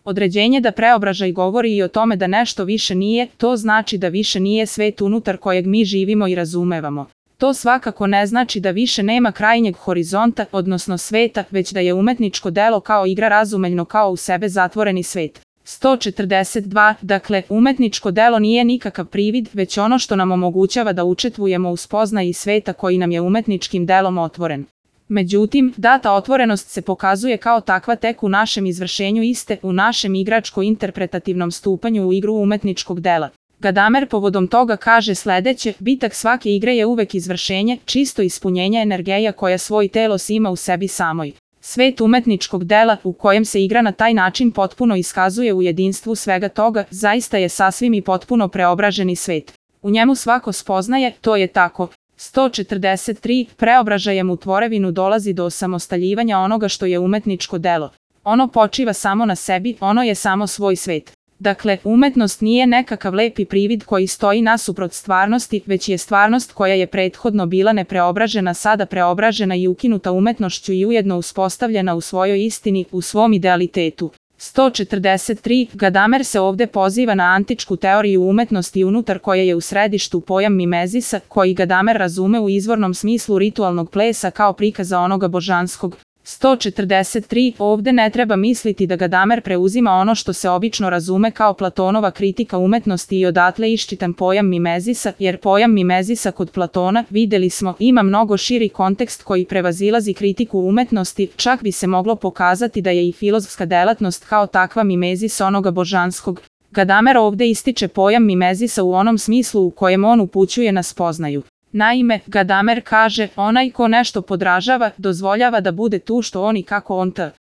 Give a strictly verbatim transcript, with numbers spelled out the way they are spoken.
Određenje da preobražaj govori i o tome da nešto više nije, to znači da više nije svet unutar kojeg mi živimo i razumevamo. To svakako ne znači da više nema krajnjeg horizonta, odnosno sveta, već da je umetničko delo kao igra razumeljno kao u sebe zatvoreni svet. sto četrdeset dva. Dakle, umetničko delo nije nikakav privid, već ono što nam omogućava da učestvujemo u spoznaji sveta koji nam je umetničkim delom otvoren. Međutim, data otvorenost se pokazuje kao takva tek u našem izvršenju iste, u našem igračko-interpretativnom stupanju u igru umetničkog dela. Gadamer povodom toga kaže sledeće: bitak svake igre je uvek izvršenje, čisto ispunjenje energija koja svoj telos ima u sebi samoj. Svet umetničkog dela, u kojem se igra na taj način potpuno iskazuje u jedinstvu svega toga, zaista je sasvim i potpuno preobraženi svet. U njemu svako spoznaje, to je tako. sto četrdeset tri. Preobražajem u tvorevinu dolazi do osamostaljivanja onoga što je umetničko delo. Ono počiva samo na sebi, ono je samo svoj svet. Dakle, umetnost nije nekakav lepi privid koji stoji nasuprot stvarnosti, već je stvarnost koja je prethodno bila nepreobražena sada preobražena i ukinuta umetnošću i ujedno uspostavljena u svojoj istini, u svom idealitetu. sto četrdeset tri. Gadamer se ovde poziva na antičku teoriju umetnosti unutar koje je u središtu pojam mimezisa, koji Gadamer razume u izvornom smislu ritualnog plesa kao prikaza onoga božanskog. sto četrdeset tri. Ovde ne treba misliti da Gadamer preuzima ono što se obično razume kao Platonova kritika umetnosti i odatle iščitan pojam mimezisa, jer pojam mimezisa kod Platona, videli smo, ima mnogo širi kontekst koji prevazilazi kritiku umetnosti, čak bi se moglo pokazati da je i filozofska delatnost kao takva mimezis onoga božanskog. Gadamer ovde ističe pojam mimezisa u onom smislu u kojem on upućuje na spoznaju. Naime, Gadamer kaže, onaj ko nešto podražava, dozvoljava da bude tu što on i kako on t.